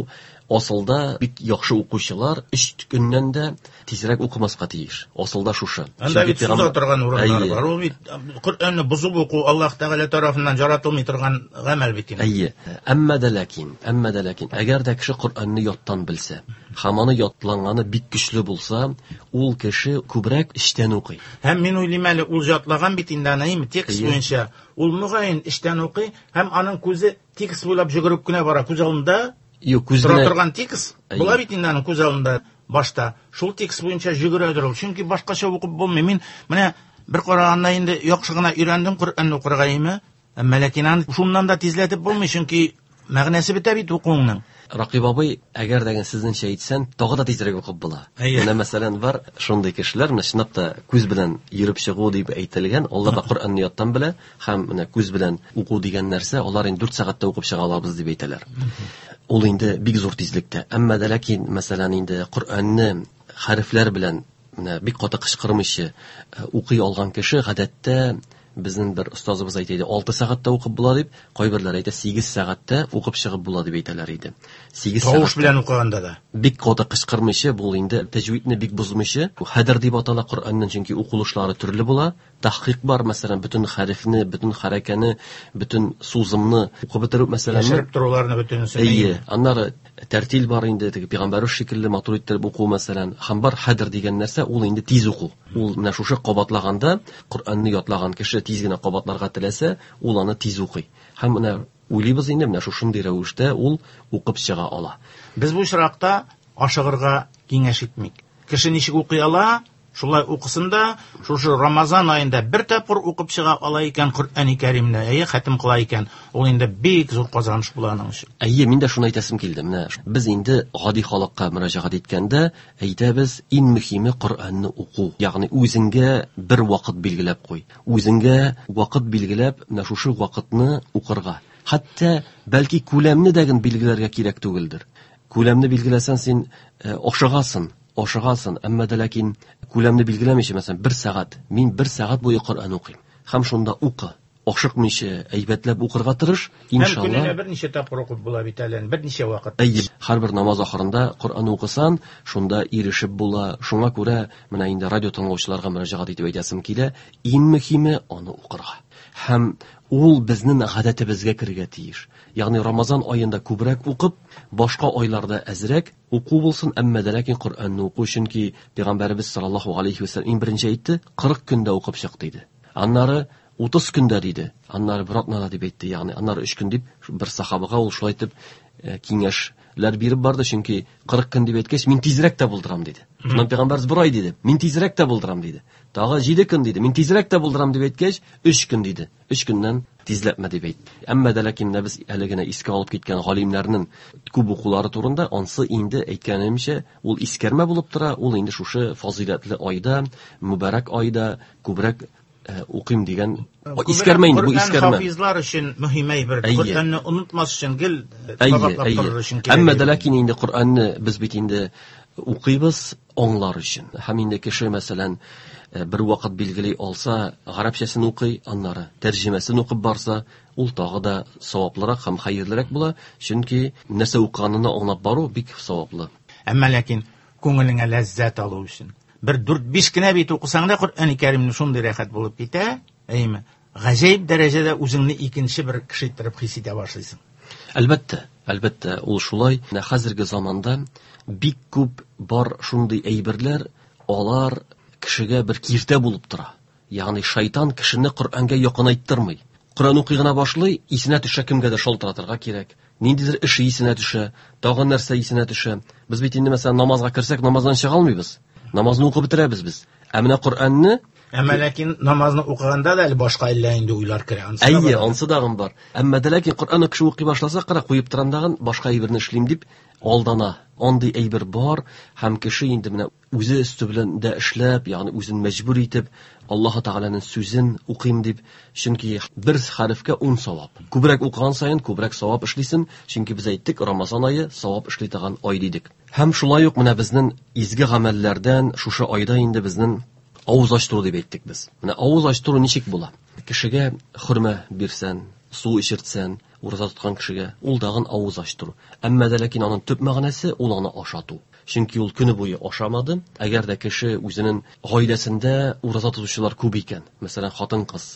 асылда бик яхшы укучылар өч көннән дә тизрәк укымаска тиеш. Асылда шушы. Анда бит суза торган урыннар бар. Ул бит Коръәнне бозып уку Аллаһ Тәгалә тарафыннан яратылмый торган гамәл бит инде. Әйе. Әмма дә ләкин, әмма дә ләкин, әгәр дә кеше Коръәнне яттан белсә, һәм аны ятланганы бик көчле булса, ул кеше күбрәк эчтән укый. Һәм мин уйлыйм әле, ул ятлаган бит инде аны, текст буенча. Ул мөгаен эчтән укый һәм аның күзе текст буйлап йөгереп кенә бара. Күз алдында Юк, күз тора торган текст була бит инде аның күз алдында башта. Шул текст буенча йөгерәдер ул. Чөнки башкача укып булмый. Мин менә бер караганда инде яхшы гына өйрәндем Коръәнне укырга име. Әмма ләкин аны шуннан да тизләтеп булмый, чөнки мәгънәсе бетә бит укуыңның. Ракыйп абый, әгәр дә сезнеңчә әйтсән, тагы да тизрәк укып була. Менә мәсәлән бар шундый кешеләр, менә чынлап та күз белән йөреп чыгу дип әйтелгән, алар да Коръәнне яттан белә һәм менә күз белән уку дигән нәрсә, алар инде дүрт сәгатьтә укып чыга алабыз дип әйтәләр. Ул инде бик зур тизлектә. Әмма дә ләкин мәсәлән инде Коръәнне хәрефләр белән менә бик каты кычкырмыйча укый алган кеше гадәттә безнең бер остазыбыз әйтә иде, алты сәгатьтә укып була дип, кайберләр әйтә сигез сәгатьтә укып чыгып була дип әйтәләр иде. Сигез тавыш белән укыганда да бик каты кычкырмыйча, бу инде тәҗвидне бик бозмыйча, бу хәдер дип атала Коръәннең, чөнки укылышлары төрле була. Тахкик бар, мәсәлән, бөтен хәрефне, бөтен хәрәкәне, бөтен сузымны укып бетерү мәсәлән, яшереп торуларны бөтенесен. Әйе, аннары тәртил бар инде, теге пәйгамбәр шикелле матур иттереп уку мәсәлән, һәм бар хәдер дигән нәрсә, ул инде тиз уку. Ул менә шушы кабатлаганда Коръәнне ятлаган кеше тиз генә кабатларга теләсә, ул аны тиз укый. Һәм менә уйлыйбыз инде, менә шушындый рәвештә ул укып чыга ала. Без бу очракта ашыгырга киңәш итмик. Кеше ничек укый ала, шулай укысын да, шушы Рамазан аенда бер тапкыр укып чыга ала икән Коръәни Кәримне, әйе, хәтем кыла икән, ул инде бик зур казаныш була аның өчен. Әйе, мин дә шуны әйтәсем килде. Менә без инде гади халыкка мөрәҗәгать иткәндә әйтәбез, иң мөһиме Коръәнне уку. Ягъни үзеңгә бер вакыт билгеләп куй. Үзеңгә вакыт билгеләп, менә шушы вакытны укырга. Хәтта бәлки күләмне дә генә билгеләргә кирәк түгелдер. Күләмне билгеләсәң син ашыгасың, ашыгасың, әмма дә ләкин күләмне билгеләмичә, мәсәлән, бер сәгать, мин бер сәгать буе Коръән укыйм. Һәм шунда укы. Ашыкмыйча, әйбәтләп укырга тырыш, иншалла. Һәм көненә берничә тапкыр укып була бит әле, берничә вакыт. Әйе, һәрбер намаз ахырында Коръән укысан, шунда ирешеп була. Шуңа күрә менә инде радио тыңлаучыларга мөрәҗәгать итеп әйтәсем килә, иң мөһиме аны укырга. Һәм ул безнең гадәтебезгә керергә тиеш. Ягъни Рамазан аенда күбрәк укып, башка айларда әзрәк уку булсын, әмма дә ләкин Коръәнне уку, чөнки Пәйгамбәребез саллаллаһу алейхи ва саллям иң беренче әйтте, кырык көндә укып чык диде. Аннары утыз көндә диде, аннары бер атнада дип әйтте, ягъни аннары өч көн дип бер сахабага ул шулай итеп киңәшләр биреп барды, чөнки кырык көн дип әйткәч, мин тизрәк тә булдырам диде. Шуннан Пәйгамбәребез бер ай диде, мин тизрәк тә булдырам диде. Тагы җиде көн диде, мин тизрәк тә булдырам дип әйткәч, өч көн диде. Өч көннән тизләтмә дип әйтте. Әмма дә ләкин менә без әле генә искә алып киткән галимнәрнең күп укулары турында, ансы инде әйткәнемчә, ул искәрмә булып тора, ул инде шушы фазыйләтле айда, мөбарәк айда күбрәк укыйм дигән искәрмә инде, бу искәрмә. Хафизлар өчен мөһим әйбер. Коръәнне онытмас өчен гел кабатлап торыр өчен кирәк. Әмма дә ләкин инде Коръәнне без бит инде укыйбыз аңлар өчен. Һәм инде кеше мәсәлән бер вакыт билгели алса, гарәпчәсен укый, аннары тәрҗемәсен укып барса, ул тагы да саваплырак һәм хәерлерәк була, чөнки нәрсә укыганын аңлап бару бик саваплы. Әмма ләкин күңелеңә ләззәт алу өчен бер дүрт-биш кенә бит укысаң да Коръәни Кәримне шундый рәхәт булып китә, әйеме? Гаҗәеп дәрәҗәдә үзеңне икенче бер кеше иттереп хис итә башлыйсың. Әлбәттә, әлбәттә, ул шулай. Менә хәзерге заманда бик күп бар шундый әйберләр, алар кешегә бер киртә булып тора. Ягъни шайтан кешене Коръәнгә якынайттырмый. Коръән укый гына башлый, исенә төшә, кемгә дә шалтыратырга кирәк, Ниндидер эше исенә төшә, тагын нәрсә исенә төшә. Без бит инде мәсәлән намазга керсәк, намаздан чыга алмыйбыз. Намазны укып бетерәбез без. Ә менә Коръәнне Әмма ләкин намазны укыганда да әле башка әллә инде уйлар керә. Ансы да Әйе, бар. ансы дагын бар. Әмма дә ләкин Коръәнне кеше укый башласа, кара куеп торам дагын башка әйберне эшлим дип алдана. Андый әйбер бар һәм кеше инде менә үзе өсте белән дә эшләп, ягъни үзен мәҗбүр итеп, Аллаһ Тәгаләнең сүзен укыйм дип, чөнки бер хәрефкә ун савап. Күбрәк укыган саен күбрәк савап эшлисең, чөнки без әйттек, Рамазан ае савап эшли торган ай дидек. Һәм шулай ук менә безнең изге гамәлләрдән шушы айда инде безнең авыз ачтыру дип әйттек без. Менә авыз ачтыру ничек була? Кешегә хөрмә бирсән, су эчертсән, ураза тоткан кешегә, ул дагын авыз ачтыру. Әмма дә ләкин аның төп мәгънәсе ул аны ашату. Чөнки ул көне буе ашамады. Әгәр дә кеше үзенең гаиләсендә ураза тотучылар күп икән, мәсәлән, хатын-кыз,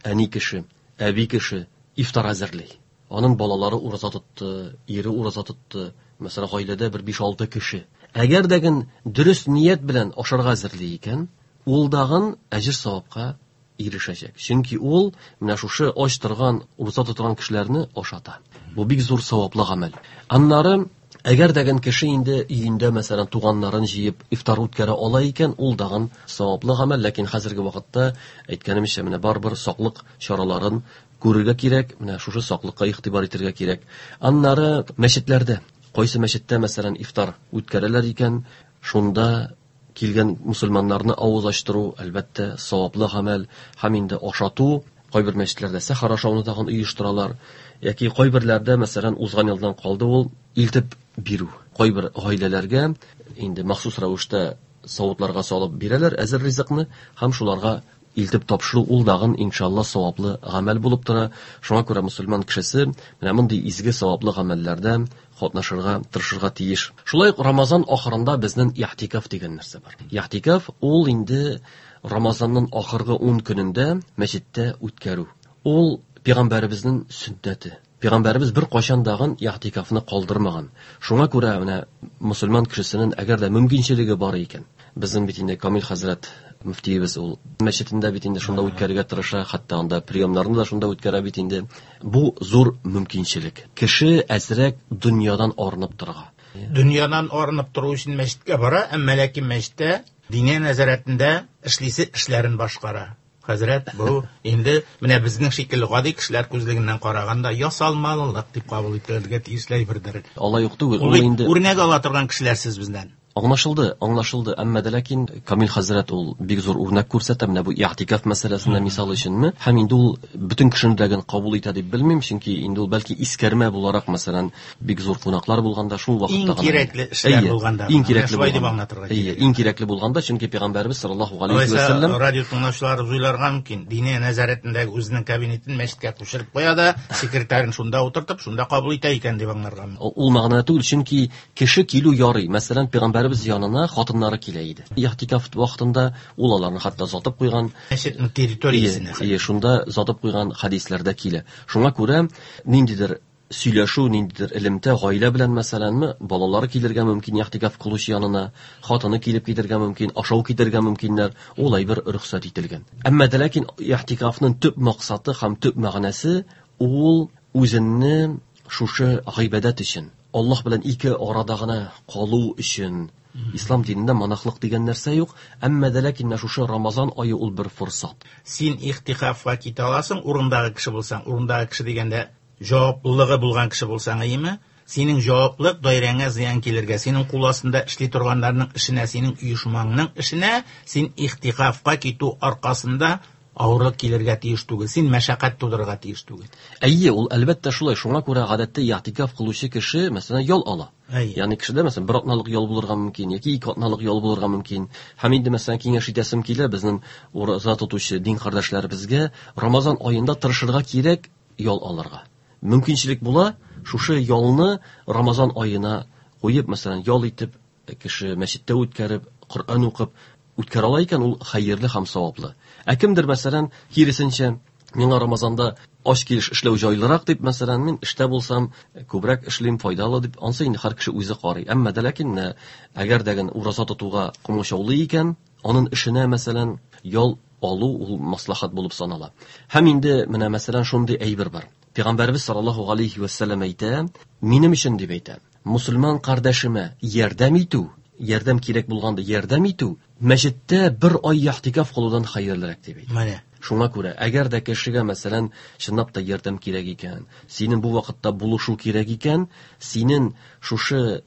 әни кеше, әби кеше ифтар әзерли. Аның балалары ураза тотты, ире ураза тотты, мәсәлән, гаиләдә бер биш-алты кеше. Әгәр дә ген дөрес ният белән ашарга әзерли икән, ул дагын әҗер савапка ирешәчәк. Чөнки ул менә шушы ач торган, ураза тоткан кешеләрне ашата. Бу бик зур саваплы гамәл. Аннары әгәр дә ген кеше инде өендә, мәсәлән, туганнарын җыеп ифтар үткәрә ала икән, ул дагын саваплы гамәл, ләкин хәзерге вакытта әйткәнемчә, менә барыбер саклык чараларын күрергә кирәк, менә шушы саклыкка игътибар итәргә кирәк. Аннары мәчетләрдә, кайсы мәчеттә, мәсәлән, ифтар үткәрәләр икән, шунда килгән мусульманнарны авыз ачтыру, әлбәттә, саваплы гамәл һәм инде ашату. Кайбер мәчетләрдә сәхәр ашауны тагын оештыралар, яки кайберләрдә, мәсәлән, узган елдан калды ул илтеп бирү. Кайбер гаиләләргә инде махсус рәвештә савытларга салып бирәләр әзер ризыкны һәм шуларга илтеп тапшыру, ул дагын иншалла саваплы гамәл булып тора. Шуңа күрә мусульман кешесе менә мондый изге саваплы гамәлләрдә катнашырга тырышырга тиеш. Шулай ук Рамазан ахырында безнең ихтикаф дигән нәрсә бар. Ихтикаф ул инде Рамазанның ахыргы ун көнендә мәчеттә үткәрү. Ул пәйгамбәребезнең сөннәте. Пәйгамбәребез бер кайчан дагын ихтикафны калдырмаган. Шуңа күрә менә мусульман кешесенең әгәр дә мөмкинчелеге бар икән, безнең бит инде Камил хәзрәт мөфтиебез ул мәчетендә бит инде шунда үткәрергә тырыша, хәтта анда приемнарны да шунда үткәрә бит инде. Бу зур мөмкинчелек. Кеше әзрәк дөньядан арынып торырга. Дөньядан арынып тору өчен мәчеткә бара, әмма ләкин мәчеттә диния нәзарәтендә эшлисе эшләрен башкара. Хәзрәт, бу инде менә безнең шикелле гади кешеләр күзлегеннән караганда ясалмалылык дип кабул ителергә тиешле әйбердер. Алай юк түгел, Ул ул бит инде үрнәк ала торган кешеләр сез бездән. Аңлашылды, аңлашылды. Әмма дә ләкин Камил хәзрәт ул бик зур үрнәк күрсәтә менә бу ихтикаф мәсьәләсендә мисал өченме? Һәм инде ул бөтен кешене дә кабул итә дип белмим, чөнки инде ул бәлки искәрмә буларак, мәсәлән, бик зур кунаклар булганда шул вакытта Иң гына кирәкле эшләр Әйе, булганда иң гына. кирәкле Менә шулай дип булганда. аңлатырга Әйе, кирәк. иң кирәкле булганда, чөнки пәйгамбәребез саллаллаһу галәйһи Алайса, вә сәлләм радио тыңлаучылар уйларга мөмкин. Диния нәзарәтендәге үзенең кабинетын мәчеткә күчереп куя да, секретарен шунда утыртып, шунда кабул итә икән дип аңларга мөмкин. Ул мәгънә түгел, чөнки кеше килү ярый. Мәсәлән, пәйгамбәребез янына хатыннары килә иде. Ихтикаф вакытында ул аларны хәтта затып куйган. Мәчетнең территориясенә. Ие, ие, шунда затып куйган хәдисләрдә килә. Шуңа күрә ниндидер сөйләшү, ниндидер элемтә гаилә белән мәсәләнме, балалары килергә мөмкин ихтикаф кылучы янына, хатыны килеп китергә мөмкин, ашау китергә мөмкиннәр, ул әйбер рөхсәт ителгән. Әмма дә ләкин ихтикафның төп максаты һәм төп мәгънәсе ул үзенне шушы гыйбадәт өчен, Аллаһ белән ике арада гына калу өчен. Ислам динендә монахлык дигән нәрсә юк, әмма дә ләкин менә шушы Рамазан ае ул бер форсат. Син ихтикафка китә аласың, урындагы кеше булсаң, урындагы кеше дигәндә җаваплылыгы булган кеше булсаң, әйеме? Синең җаваплык даирәңә зыян килергә, синең кул астында эшли торганнарның эшенә, синең оешмаңның эшенә, син ихтикафка китү аркасында авырлык килергә тиеш түгел, син мәшәкать тудырырга тиеш түгел. Әйе, ул әлбәттә шулай. Шуңа күрә гадәттә ихтикаф кылучы кеше, мәсәлән, ял ала. Әйе. Ягъни кешедә, мәсәлән, бер атналык ял булырга мөмкин, яки ике атналык ял булырга мөмкин. Һәм инде, мәсәлән, киңәш итәсем килә, безнең ураза тотучы дин кардәшләребезгә Рамазан аенда тырышырга кирәк ял алырга. Мөмкинчелек була, шушы ялны Рамазан аена куеп, мәсәлән, ял итеп, кеше мәчеттә үткәреп, Коръән укып үткәрә ала икән, ул хәерле һәм саваплы. Ә кемдер, мәсәлән, киресенчә, миңа Рамазанда ач килеш эшләү җайлырак дип, мәсәлән, мин эштә булсам, күбрәк эшлим, файдалы дип, ансы инде һәр кеше үзе карый. Әмма дә ләкин, менә, әгәр дә ген ураза тотуга комачаулый икән, аның эшенә, мәсәлән, ял алу ул маслахат булып санала. Һәм инде менә, мәсәлән, шундый әйбер бар. Пәйгамбәрбез саллаллаһу алейхи ва саллям әйтә, минем өчен дип әйтә, мусульман кардәшемә ярдәм итү, ярдәм кирәк булганда ярдәм итү, мәчеттә бер ай ихтикаф кылудан хәерлерәк дип әйтә. Менә. Шуңа күрә, әгәр дә кешегә, мәсәлән, чынлап та ярдәм кирәк икән, синең бу вакытта булышу кирәк икән, синең шушы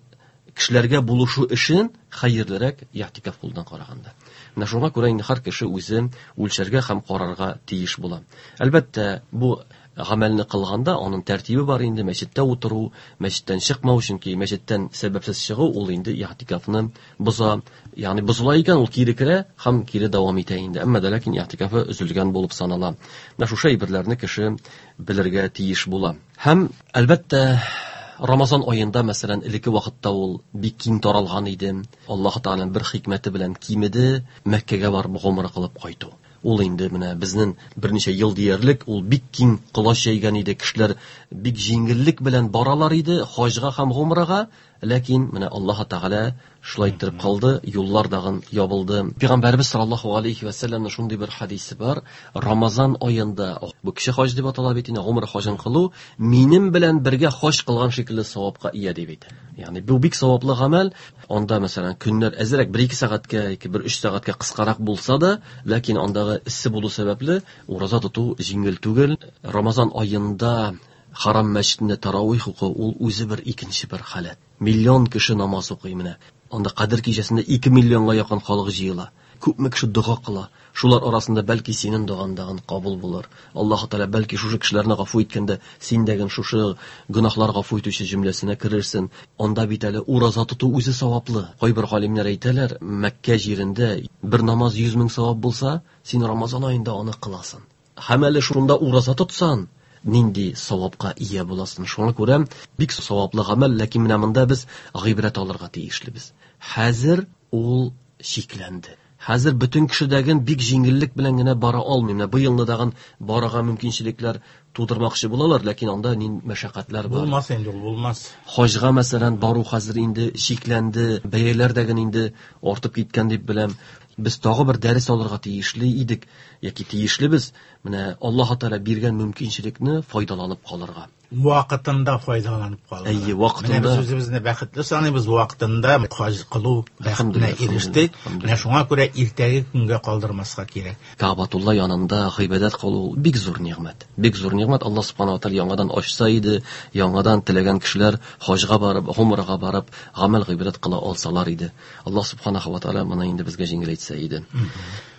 кешеләргә булышу өчен хәерлерәк ихтикаф кылудан караганда. Менә шуңа күрә инде һәр кеше үзе үлчәргә һәм карарга тиеш була. Әлбәттә, бу гамәлне кылганда аның тәртибе бар инде, мәчеттә утыру, мәчеттән чыкмау, чөнки мәчеттән сәбәпсез чыгу ул инде ихтикафны боза. Ягъни бозыла икән, ул кире керә һәм кире дәвам итә инде. Әмма дә ләкин ихтикафы өзелгән булып санала. Менә шушы әйберләрне кеше белергә тиеш була. Һәм әлбәттә, Рамазан аенда, мәсәлән, элекке вакытта ул бик киң таралган иде. Аллаһ Тәгаләнең бер хикмәте белән кимеде, Мәккәгә барып гомра кылып кайту. Ул инде менә безнең берничә ел диярлек ул бик киң колач җәйгән иде. Кешеләр бик җиңеллек белән баралар иде хаҗга һәм гомрага, ләкин менә Аллаһ Тәгалә шулай иттереп калды, юллар дагын ябылды. Пәйгамбәрбез саллаллаһу алейхи ва саллямның шундый бер хадисе бар. Рамазан аенда бу кеше хаҗ дип атала бит инде, гомра хаҗын кылу минем белән бергә хаҗ кылган шикелле савапка ия дип әйтә. Ягъни бу бик саваплы гамәл. Анда мәсәлән көннәр әзрәк бер ике сәгатькә, ике бер өч сәгатькә кыскарак булса да, ләкин андагы эссе булу сәбәпле ураза тоту җиңел түгел. Рамазан аенда Харам мәчетендә таравих уку ул үзе бер икенче бер халәт. Миллион кеше намаз укый менә. Анда Кадер кичәсендә ике миллионга якын халык җыела. Күпме кеше дога кыла. Шулар арасында бәлки синең догаңдагын кабул булыр. Аллаһ Тәгалә бәлки шушы кешеләрне гафу иткәндә син дәген шушы гөнаһлар гафу итүче җөмләсенә керерсең. Анда бит әле ураза тоту үзе саваплы. Кайбер галимнәр әйтәләр, Мәккә җирендә бер намаз йөз мең савап булса, син Рамазан аенда аны кыласың. Һәм әле шунда ураза тотсаң, нинди савапка ия буласың. Шуңа күрә бик саваплы гамәл, ләкин менә монда без гыйбрәт алырга тиешлебез. Хәзер ул чикләнде. Хәзер бөтен кешедәген бик җиңеллек белән генә бара алмый. Менә бу елны дагын барырга мөмкинчелекләр тудырмакчы булалар, ләкин анда нинди мәшәкатьләр бар. Булмас инде ул, булмас. Хаҗга мәсәлән бару хәзер инде чикләнде, бәяләр дәген инде артып киткән дип беләм. Без тагы бер дәрес алырга тиешле идек, яки тиешлебез. Менә Аллаһ Тәгалә биргән мөмкинчелекне файдаланып калырга. Вакытында файдаланып калырга. Әйе, вакытында. Менә без үзебезне бәхетле саныйбыз, вакытында хаҗ кылу бәхетенә ирештек. Менә шуңа күрә иртәге көнгә калдырмаска кирәк. Каабатулла янында гыйбадәт кылу бик зур нигъмәт. Бик зур нигъмәт. Аллаһ субхана ва тааля яңадан ачса иде, яңадан теләгән кешеләр хаҗга барып, гумрага барып, гамәл гыйбадәт кыла алсалар иде. Аллаһ субхана ва тааля моны инде безгә җиңеләйтсә иде.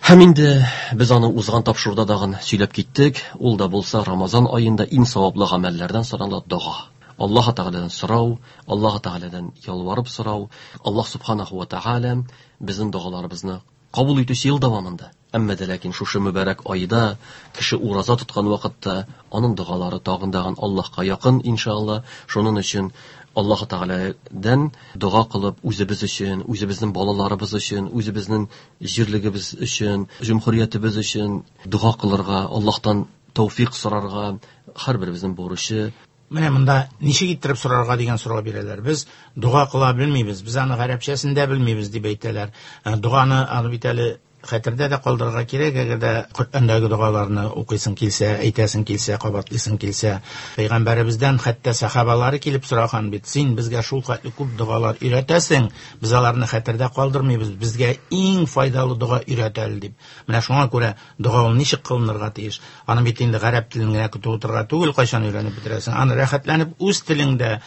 Һәм инде без аны узган тапшыруда дагын сөйләп киттек. Ул да булса Рамазан аенда иң саваплы гамәлләрдән санала дога. Аллаһ Тәгаләдән сорау, Аллаһ Тәгаләдән ялварып сорау. Аллаһ субханаху ва тааля безнең догаларыбызны кабул итүче ел дәвамында. Әмма дә ләкин шушы мөбарәк айда кеше ураза тоткан вакытта аның догалары тагын дагын Аллаһка якын иншалла. Шуның өчен Аллаһ Тәгаләдән дога кылып үзебез өчен, үзебезнең балаларыбыз өчен, үзебезнең җирлегебез өчен, җөмһүриятебез өчен дога кылырга, Аллаһтан тәүфик сорарга һәрберебезнең бурычы. Менә монда ничек иттереп сорарга дигән сорау бирәләр. Без дога кыла белмибез, без аны гарәпчәсен дә белмибез дип әйтәләр. Доганы аны бит әле хәтердә дә калдырырга кирәк, әгәр дә Коръәндәге догаларны укыйсың килсә, әйтәсең килсә, кабатлыйсың килсә. Пәйгамбәребездән хәтта сахабалары килеп сораган бит: син безгә шул хәтле күп догалар өйрәтәсең, без аларны хәтердә калдырмыйбыз, безгә иң файдалы дога өйрәт әле дип. Менә шуңа күрә дога ул ничек кылынырга тиеш? Аны бит инде гарәп телен генә көтеп утырырга түгел, кайчан өйрәнеп бетерәсең? Аны рәхәтләнеп үз телеңдә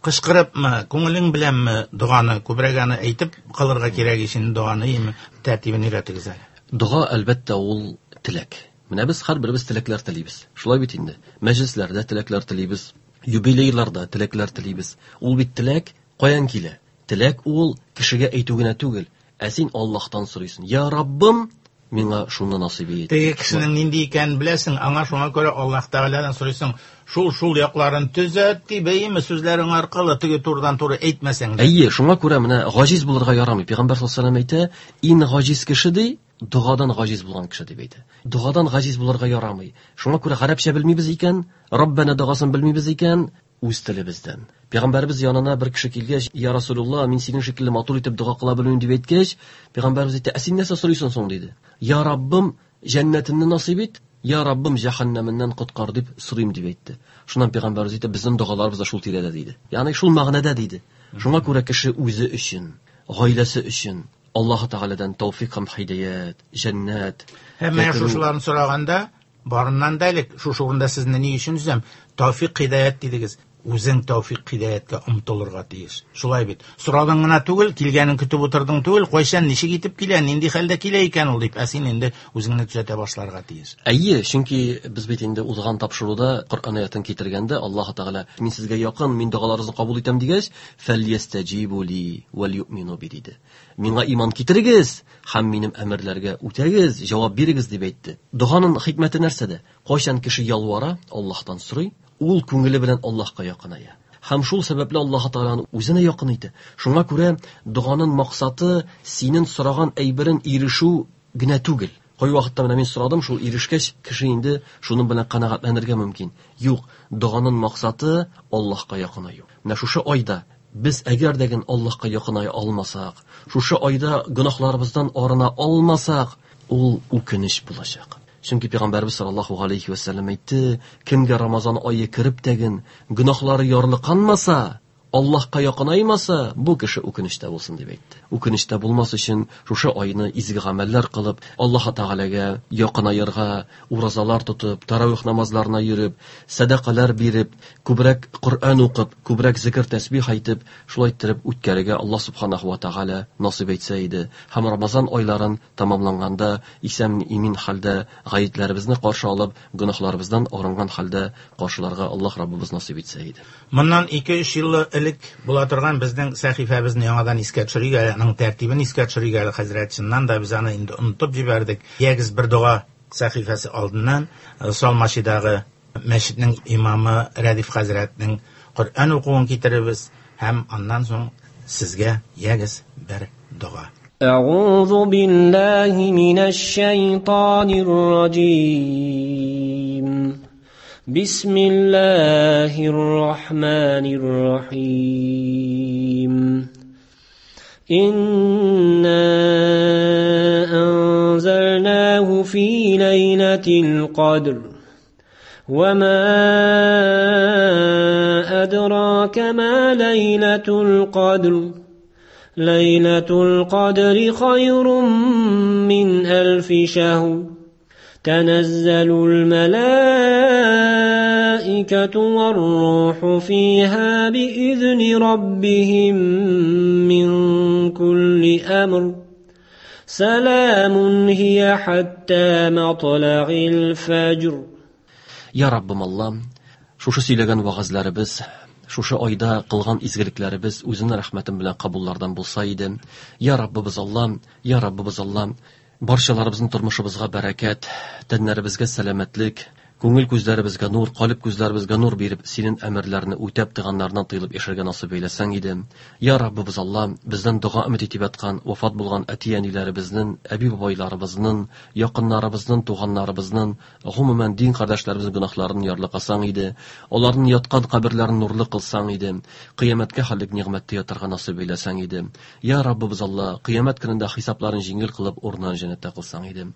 кычкырыпмы, күңелең беләнме доганы күбрәк аны әйтеп кылырга кирәк икән, доганы име тәртибен өйрәтегез әле. Дога әлбәттә ул теләк. Менә без һәрберебез теләкләр телибез. Шулай бит инде. Мәҗлесләрдә теләкләр телибез, юбилейларда теләкләр телибез. Ул бит теләк каян килә? Теләк ул кешегә әйтү генә түгел. Ә син Аллаһтан сорыйсың. Я Раббым, миңа шуны насыйп ит. Теге кешенең нинди икәнен беләсең, аңа шуңа күрә Аллаһ Тәгаләдән сорыйсың. Шул шул якларын төзәт дип, әйеме, сүзләрең аркылы теге турыдан туры әйтмәсәң дә. Әйе, шуңа күрә менә гаҗиз булырга ярамый. Пәйгамбәр саллаллаһу алейһи ва сәлләм әйтә, иң гаҗиз кеше ди, догадан гаҗиз булган кеше дип әйтә. Догадан гаҗиз булырга ярамый. Шуңа күрә гарәпчә белмибез икән, Раббана догасын белмибез икән, үз телебездән. Пәйгамбәребез янына бер кеше килгәч, Я Расулуллаһ, мин синең шикелле матур итеп дога кыла белмим дип әйткәч, пәйгамбәребез әйтте, ә син нәрсә сорыйсың соң диде. Я Раббым, җәннәтеңне насыйп ит, Я Раббым, җәһәннәменнән коткар дип сорыйм дип әйтте. Шуннан пәйгамбәребез әйтте, безнең догаларыбыз да шул тирәдә диде. Ягъни шул мәгънәдә диде. Шуңа күрә кеше үзе өчен, гаиләсе өчен Аллаһ Тәгаләдән тәүфик һәм һидәят, җәннәт. Һәм менә шушыларны сораганда, барыннан да элек шушы урында сезне ни өчен өзәм? Тәүфик һидәят дидегез. Үзең тәүфик һидәяткә омтылырга тиеш. Шулай бит. Сорадың гына түгел, килгәнен көтеп утырдың түгел, кайчан ничек итеп килә, нинди хәлдә килә икән ул дип, ә син инде үзеңне төзәтә башларга тиеш. Әйе, чөнки без бит инде узган тапшыруда Коръән аятын китергәндә Аллаһ Тәгалә мин сезгә якын, мин догаларыгызны кабул итәм дигәч, фәльястәҗибу ли вәл юъмину би диде. Миңа иман китерегез һәм минем әмерләргә үтәгез, җавап бирегез дип әйтте. Доганың хикмәте нәрсәдә? Кайчан кеше ялвара, Аллаһтан сорый, ул күңеле белән Аллаһка якыная. Һәм шул сәбәпле Аллаһ Тәгаләне үзенә якын итә. Шуңа күрә доганың максаты синең сораган әйберен ирешү генә түгел. Кай вакытта менә мин сорадым, шул ирешкәч, кеше инде шуның белән канәгатьләнергә мөмкин. Юк, доганың максаты Аллаһка якынаю. Менә шушы айда без әгәр дә Аллаһка якыная алмасак, шушы айда гөнаһларыбыздан арына алмасак, ул үкенеч булачак. Чөнки Пәйгамбәрбез саллаллаһу алейхи ва сәлләм әйтте, кемгә Рамазан ае кереп тәген гөнаһлары ярлыканмаса, Аллаһка якынаймаса, бу кеше үкенечтә булсын дип әйтте. Үкенечтә булмас өчен шушы айны изге гамәлләр кылып, Аллаһ Тәгаләгә якынаерга, уразалар тотып, таравих намазларына йөреп, сәдакалар биреп, күбрәк Коръән укып, күбрәк зикр тәсбих әйтеп, шулай иттереп үткәрергә Аллаһ субханаһу ва Тәгалә насыйп итсә иде. Һәм Рамазан айларын тамамланганда исән имин хәлдә гаетләребезне каршы алып, гөнаһларыбыздан арынган хәлдә каршыларга Аллаһ Раббыбыз насыйп итсә иде. Моннан ике-өч ел элек була торган безнең сәхифәбезне яңадан искә төшерик әле, аның тәртибен искә төшерик әле, хәзрәт, чыннан да без аны инде онытып җибәрдек. Ягез бер дога сәхифәсе алдыннан Салмачидагы мәчетнең имамы Рәдиф хәзрәтнең Коръән укуын китеребез һәм аннан соң сезгә ягез бер дога. Әгъузу биллаһи минәш шайтанир раҗим. بسم الله الرحمن الرحيم إنا أنزلناه في ليلة القدر وما أدراك ما ليلة القدر ليلة القدر خير من ألف شهر تنزل الملائكة والروح فيها بإذن ربهم من كل أمر سلام هي حتى مطلع الفجر. Ya Rabbim Allah'ım, шушы сөйләгән вәгазьләребез, шушы айда кылган изгелекләребез үзенең рәхмәте белән кабуллардан булса иде. Я Раббыбыз Аллам, я Раббыбыз Аллам, барчаларыбызның тормышыбызга бәрәкәт, тәннәребезгә сәламәтлек, күңел күзләребезгә нур, калып күзләребезгә нур биреп, синең әмерләрне үтәп тыганнардан тыелып яшәргә насыйп әйләсәң иде. Я Раббыбыз Аллам, бездән дога өмет итеп яткан, вафат булган әти-әниләребезнең, әби-бабайларыбызның, якыннарыбызның, туганнарыбызның, гомумән дин кардәшләребезнең гөнаһларын ярлыкасаң иде, аларның яткан каберләрен нурлы кылсаң иде, кыямәткә хәллек нигъмәттә ятарга насыйп әйләсәң иде. Я Раббыбыз Алла, кыямәт көнендә хисапларын җиңел кылып, урынын җәннәттә кылсаң иде.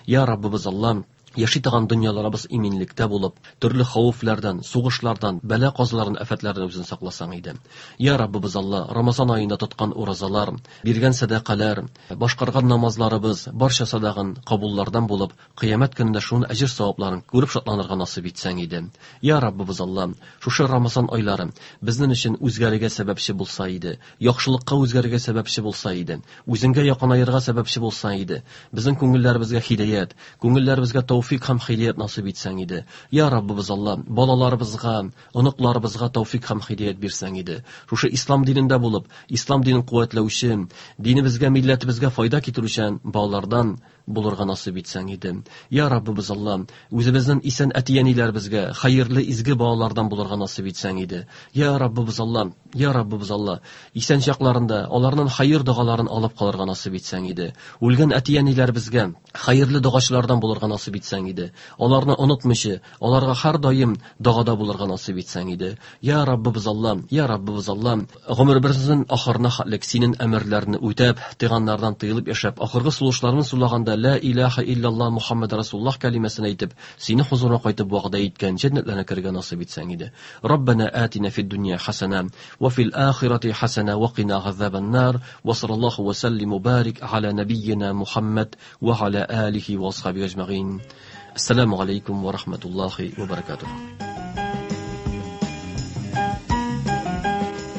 Я Раббыбыз Алла, яши торган дөньяларыбыз иминлектә булып, төрле хәвефләрдән, сугышлардан, бәла-казалардан, афәтләрдән үзен сакласаң иде. Я Раббыбыз Алла, Рамазан аенда тоткан уразалар, биргән сәдакалар, башкарган намазларыбыз барча садагын кабуллардан булып, кыямәт көнендә шуның әҗер савапларын күреп шатланырга насыйп итсәң иде. Я Раббыбыз Алла, шушы Рамазан айлары безнең өчен үзгәрергә сәбәпче булса иде, яхшылыкка үзгәрергә сәбәпче булса иде, үзеңгә якынаерга сәбәпче булса иде, безнең күңелләребезгә һидаят, күңелләребезгә тәүфик һәм хидәят насыйп итсәң иде. Я Раббыбыз Алла, балаларыбызга, оныкларыбызга тәүфик һәм хидәят бирсәң иде. Шушы ислам динендә булып, ислам динен куәтләүче, динебезгә, милләтебезгә файда китерүче балалардан булырга насыйп итсәң иде. Я Раббыбыз Алла, үзебезнең исән әти-әниләребезгә хәерле изге балалардан булырга насыйп итсәң иде. Я Раббыбыз Алла, я Раббыбыз Алла, исән чакларында аларның хәер догаларын алып калырга насыйп итсәң иде. Үлгән әти-әниләребезгә хәерле догачылардан булырга насыйп итсәң итсәң иде. Аларны онытмыйча, аларга һәр даим догада булырга насыйп итсәң иде. Я Раббыбыз Аллам, я Раббыбыз Аллам, гомеребезнең ахырына хәтлек синең әмерләреңне үтәп, тыйганнардан тыелып яшәп, ахыргы сулышларны сулаганда ла илаһа иллаллаһ Мухаммад Расулуллаһ кәлимәсен әйтеп, сине хузурына кайтып вәгъдә иткән җәннәтләренә керергә насыйп итсәң иде. Раббана атина фид дөнья хасана ва фил ахирати хасана ва кина азабан нар. Ва саллаллаху ва саллим ва барик аля набийина Мухаммад ва аля алихи ва асхабихи ажмаин. Ассаламу алейкум ва рахматуллахи ва баракатух.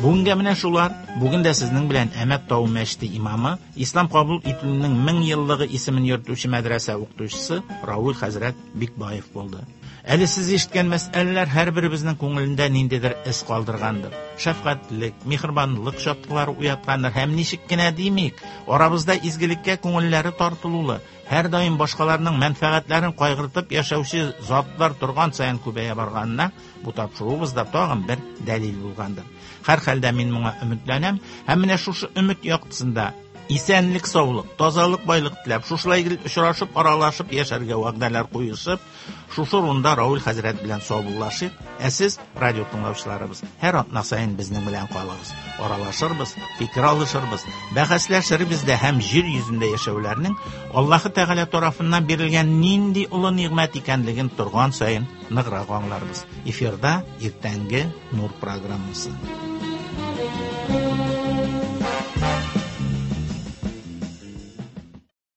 Бүгенгә менә шулар. Бүген дә сезнең белән Әмәт Тау мәчете имамы, Ислам кабул ителүенең мең еллыгы исемен йөртүче мәдрәсә укытучысы Равил хәзрәт Бикбаев булды. Әле сез ишеткән мәсьәләләр һәрберебезнең күңелендә ниндидер эз калдыргандыр. Шәфкатьлек, миһербанлык чаткылары уяткандыр һәм ничек кенә димик, арабызда изгелеккә күңелләре тартылулы, һәр даим башкаларның мәнфәгатьләрен кайгыртып яшәүче затлар торган саен күбәя барганына бу тапшыруыбызда тагын бер дәлил булгандыр. Һәр хәлдә мин моңа өметләнәм һәм менә шушы өмет яктысында исәнлек, саулык, тазалык, байлык теләп, шушылай гел очрашып, аралашып яшәргә вәгъдәләр куешып, шушы урында Равил хәзрәт белән саубуллашыйк. Ә сез, радио тыңлаучыларыбыз, һәр атна саен безнең белән калыгыз. Аралашырбыз, фикер алышырбыз, бәхәсләшербез дә һәм җир йөзендә яшәүләрнең Аллаһы Тәгалә тарафыннан бирелгән нинди олы нигъмәт икәнлеген торган саен ныграк аңларбыз. Эфирда иртәнге Нур программасы.